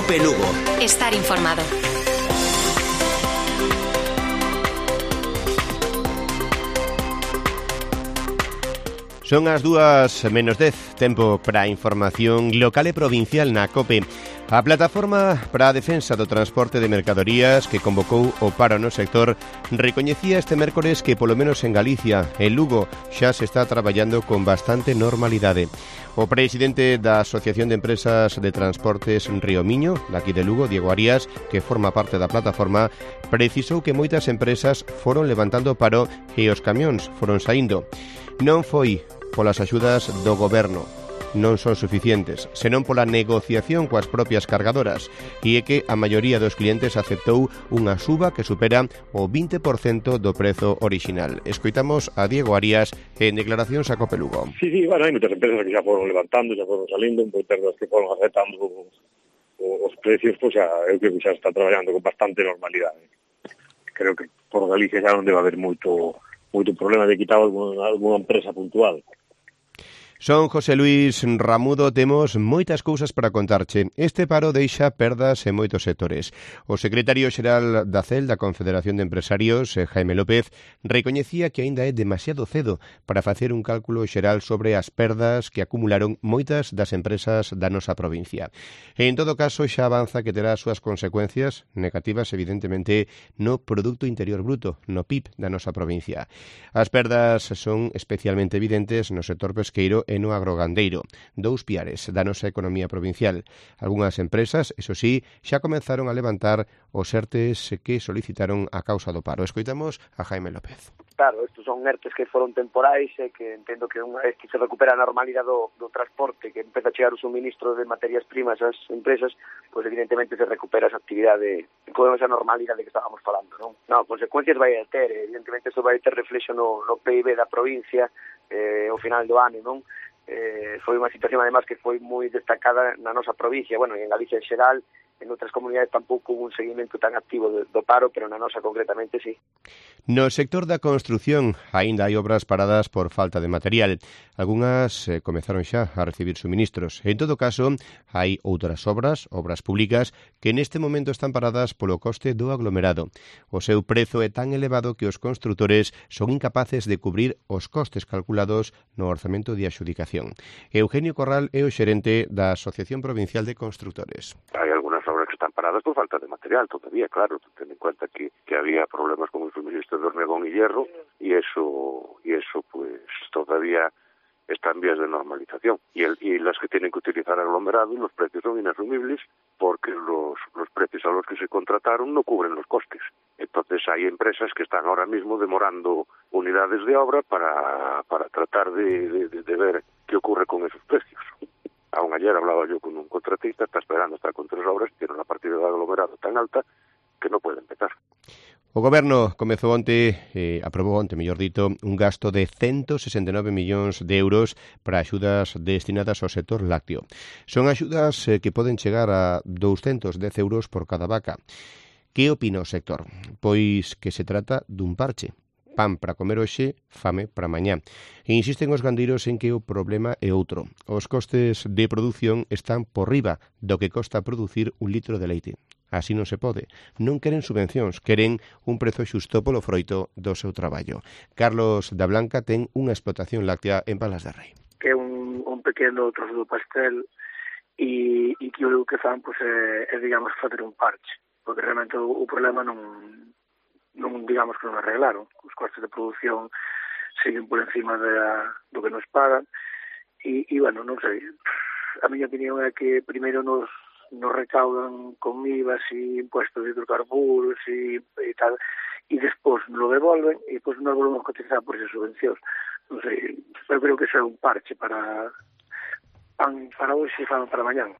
COPE Lugo. Estar informado. Son as 2:10, tempo para a información local e provincial na COPE. A Plataforma para a Defensa do Transporte de Mercadorías, que convocou o paro no sector, recoñecía este mércores que, polo menos en Galicia, en Lugo, xa se está traballando con bastante normalidade. O presidente da Asociación de Empresas de Transportes Río Miño, daqui de Lugo, Diego Arias, que forma parte da plataforma, precisou que moitas empresas foron levantando o paro e os camións foron saindo. Non foi polas axudas do goberno, non son suficientes, senón pola negociación coas propias cargadoras, e é que a maioría dos clientes aceptou unha suba que supera o 20% do prezo orixinal. Escoitamos a Diego Arias en declaracións a COPE Lugo. Sí, bueno, hai moitas empresas que xa foron levantando, xa foron salindo, moitas das que foron aceptando os precios, pois xa, eu creo que xa está traballando con bastante normalidade. Creo que por Galicia xa non debe haber moito problema de quitar alguna empresa puntual. Son José Luis Ramudo, temos moitas cousas para contarche. Este paro deixa perdas en moitos sectores. O secretario xeral da CEL, da Confederación de Empresarios, Jaime López, recoñecía que aínda é demasiado cedo para facer un cálculo xeral sobre as perdas que acumularon moitas das empresas da nosa provincia. En todo caso, xa avanza que terá as súas consecuencias negativas, evidentemente, no Produto Interior Bruto, no PIB da nosa provincia. As perdas son especialmente evidentes no sector pesqueiro e no agrogandeiro, dous piares da nosa economía provincial. Algúnas empresas, eso sí, xa comenzaron a levantar os ERTEs que solicitaron a causa do paro. Escoitamos a Jaime López. Claro, estos son ERTEs que foron temporais e que entendo que unha vez que se recupera a normalidade do transporte, que empeza a chegar o suministro de materias primas ás empresas, pois evidentemente se recupera esa actividade con esa normalidade que estábamos falando, non? Non, consecuencias vai a ter, evidentemente isto vai ter reflexo no PIB da provincia ao final do ano, non? Foi unha situación además que foi moi destacada na nosa provincia, bueno, e en Galicia en xeral. En outras comunidades tampouco hubo un seguimento tan activo do paro, pero na nosa concretamente sí. No sector da construción aínda hai obras paradas por falta de material. Algúnas comezaron xa a recibir suministros. En todo caso, hai outras obras públicas, que neste momento están paradas polo coste do aglomerado. O seu prezo é tan elevado que os construtores son incapaces de cubrir os costes calculados no orzamento de adxudicación. Eugenio Corral é o xerente da Asociación Provincial de Constructores. Hai algunas obras que están paradas por falta de material todavía, claro, ten en cuenta que había problemas con el suministro de hormigón y hierro y eso pues todavía está en vías de normalización y las que tienen que utilizar aglomerado, los precios son inasumibles porque los precios a los que se contrataron no cubren los costes. Entonces hay empresas que están ahora mismo demorando unidades de obra para tratar de ver qué ocurre con esos precios. Aún ayer hablaba yo con un contratista, está esperando estar con 3 obras, tiene una partida de aglomerado tan alta que no puede empezar. O Goberno comezou aprobou onte, mellor dito, un gasto de 169 millóns de euros para axudas destinadas ao sector lácteo. Son axudas que poden chegar a 210 euros por cada vaca. Que opina o sector? Pois que se trata dun parche. Pan para comer hoxe, fame para mañá. E insisten os gandeiros en que o problema é outro. Os costes de produción están por riba do que costa producir un litro de leite. Así non se pode. Non queren subvencións, queren un prezo xusto polo froito do seu traballo. Carlos da Blanca ten unha explotación láctea en Palas de Rei. Que é un pequeno trozo do pastel e que o que fan pues, é digamos, fazer un parche. Porque realmente o problema non digamos que non arreglaron. Os costes de produción siguen por encima do que nos pagan e bueno, non sei. A miña opinión é que primeiro nos recaudan con IVA e impuestos de hidrocarburos e tal, e despois nos lo devolven e despois nos volvemos a cotizar por esas subvencións. Non sei, eu creo que xa é un parche para hoxe e para mañán.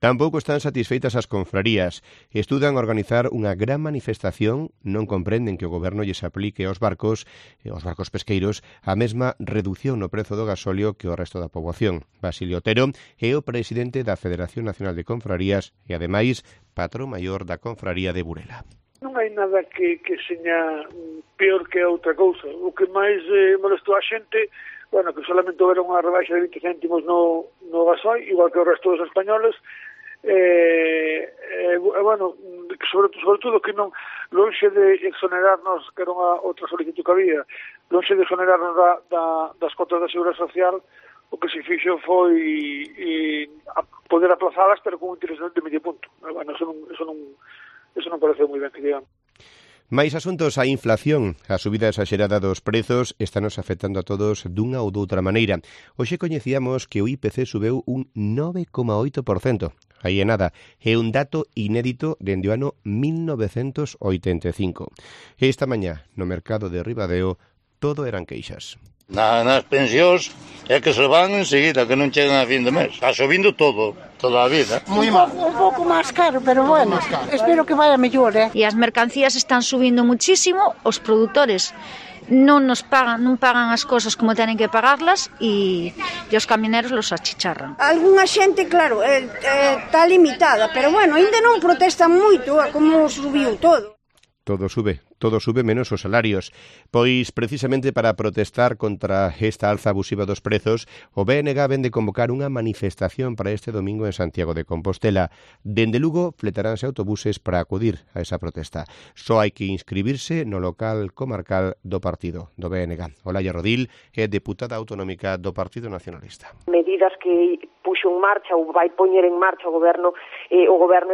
Tampouco están satisfeitas as confrarías. Estudan organizar unha gran manifestación, non comprenden que o goberno lles aplique aos barcos pesqueiros, a mesma reducción no prezo do gasóleo que o resto da poboación. Basilio Otero é o presidente da Federación Nacional de Confrarías e, ademais, patrón maior da confraría de Burela. Non hai nada que seña peor que outra cousa. O que máis molestou a xente, bueno, que solamente houera unha rebaixa de 20 céntimos no gasoi, igual que o resto dos españoles, bueno, sobre todo que non, lonxe de exonerarnos, que era outra solicitud que había, lonxe de exonerarnos das cotas da Seguridade Social, o que se fixo foi poder aplazadas, pero con un interés de medio punto. Bueno, eso non parece moi ben, que digamos. Mais asuntos, a inflación, a subida exagerada dos prezos estanos afectando a todos dunha ou doutra maneira. Hoxe coñecíamos que o IPC subeu un 9,8%. Aí é nada, é un dato inédito dende o ano 1985. E esta mañá, no mercado de Ribadeo, todo eran queixas. Nas pensións é que se van enseguida, que non chegan a fin de mes. Está subindo todo, toda a vida. Un pouco máis caro, pero bueno, espero que vaya mellor, E as mercancías están subindo muchísimo, os produtores non pagan as cousas como tenen que pagarlas e os camioneros los achicharran. Algúnha xente, claro, está limitada, pero bueno, ainda non protestan moito a como subiu todo. Todo sube menos os salarios. Pois, precisamente para protestar contra esta alza abusiva dos prezos, o BNG vende convocar unha manifestación para este domingo en Santiago de Compostela. Dende Lugo, fletaránse autobuses para acudir a esa protesta. Só hai que inscribirse no local comarcal do partido, do BNG. Olaya Rodil é deputada autonómica do Partido Nacionalista. Medidas que puxo en marcha ou vai poñer en marcha o goberno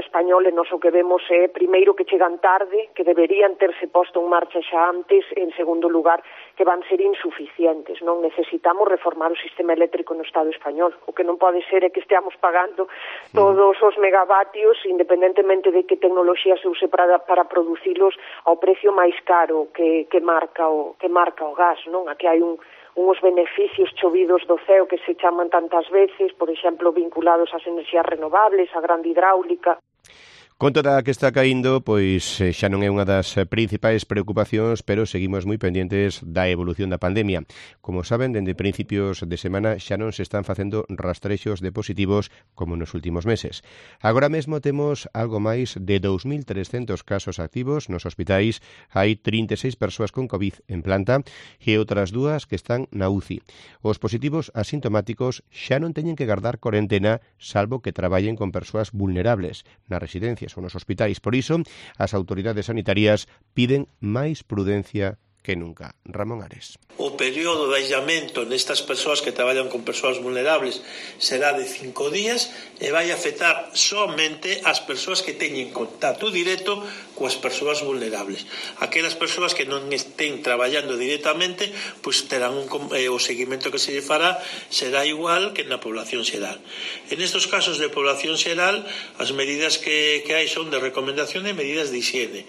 español, e nós o que vemos é, primeiro, que chegan tarde, que deberían terse posto en marcha xa antes, en segundo lugar, que van ser insuficientes. Non necesitamos reformar o sistema eléctrico no Estado español. O que non pode ser é que esteamos pagando todos os megavatios, independentemente de que tecnoloxía se use para producilos, ao precio máis caro que marca o gas, non? Aquí hai uns beneficios chovidos do ceo que se chaman tantas veces, por exemplo, vinculados ás enerxías renovables, á grande hidráulica. Con toda a que está caíndo, pois xa non é unha das principais preocupacións, pero seguimos moi pendientes da evolución da pandemia. Como saben, dende principios de semana xa non se están facendo rastrexos de positivos como nos últimos meses. Agora mesmo temos algo máis de 2.300 casos activos nos hospitais, hai 36 persoas con COVID en planta e outras 2 que están na UCI. Os positivos asintomáticos xa non teñen que gardar corentena, salvo que traballen con persoas vulnerables nas residencias ou nos hospitais. Por iso, as autoridades sanitarias piden máis prudencia que nunca. Ramón Ares. O período de aislamento nestas persoas que traballan con persoas vulnerables será de 5 días e vai afectar somente as persoas que teñen contacto directo coas persoas vulnerables. Aquelas persoas que non estén traballando directamente, pois terán o seguimento que se lle fará será igual que na población xeral. En estes casos de población xeral, as medidas que hai son de recomendación e medidas de higiene,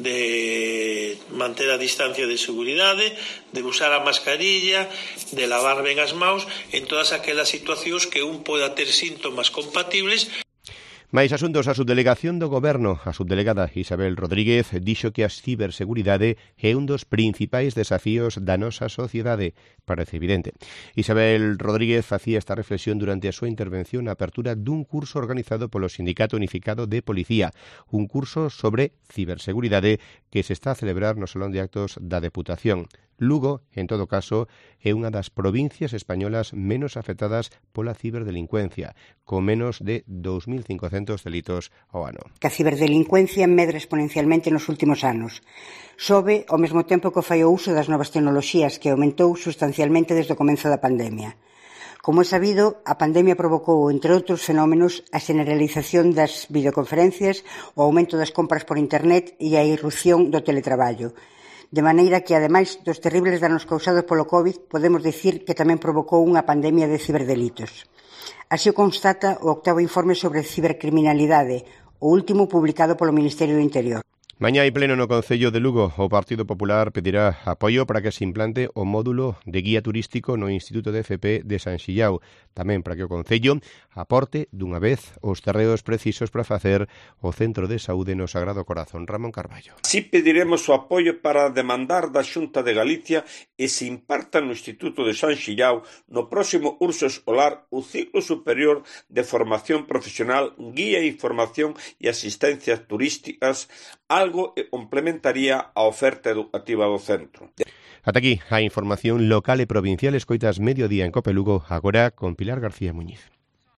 de manter a distancia de seguridade, de usar a mascarilla, de lavar ben as mãos en todas aquelas situacións que un poda ter síntomas compatibles. Mais asuntos, a subdelegación do Goberno, a subdelegada Isabel Rodríguez, dixo que a ciberseguridade é un dos principais desafíos da nosa sociedade. Parece evidente. Isabel Rodríguez facía esta reflexión durante a súa intervención na apertura dun curso organizado polo Sindicato Unificado de Policía, un curso sobre ciberseguridade que se está a celebrar no Salón de Actos da Deputación. Lugo, en todo caso, é unha das provincias españolas menos afectadas pola ciberdelincuencia, con menos de 2.500 delitos ao ano. Que a ciberdelincuencia medra exponencialmente nos últimos anos. Sobe ao mesmo tempo que fai o uso das novas tecnoloxías, que aumentou sustancialmente desde o comenzo da pandemia. Como é sabido, a pandemia provocou, entre outros fenómenos, a generalización das videoconferencias, o aumento das compras por internet e a irrupción do teletraballo. De maneira que, ademais dos terribles danos causados polo COVID, podemos dicir que tamén provocou unha pandemia de ciberdelitos. Así o constata o 8º informe sobre cibercriminalidade, o último publicado polo Ministerio do Interior. Mañá hai pleno no Concello de Lugo. O Partido Popular pedirá apoio para que se implante o módulo de guía turístico no Instituto de FP de San Xillao. Tamén para que o Concello aporte dunha vez os terreos precisos para facer o Centro de Saúde no Sagrado Corazón. Ramón Carballo. Si pediremos o apoio para demandar da Xunta de Galicia e se imparta no Instituto de San Xillao no próximo curso escolar o ciclo superior de formación profesional, guía, información e asistencias turísticas, algo que complementaría a oferta educativa do centro. Ata aquí a información local e provincial. Escoitas Mediodía en Cope Lugo, agora con Pilar García Muñiz.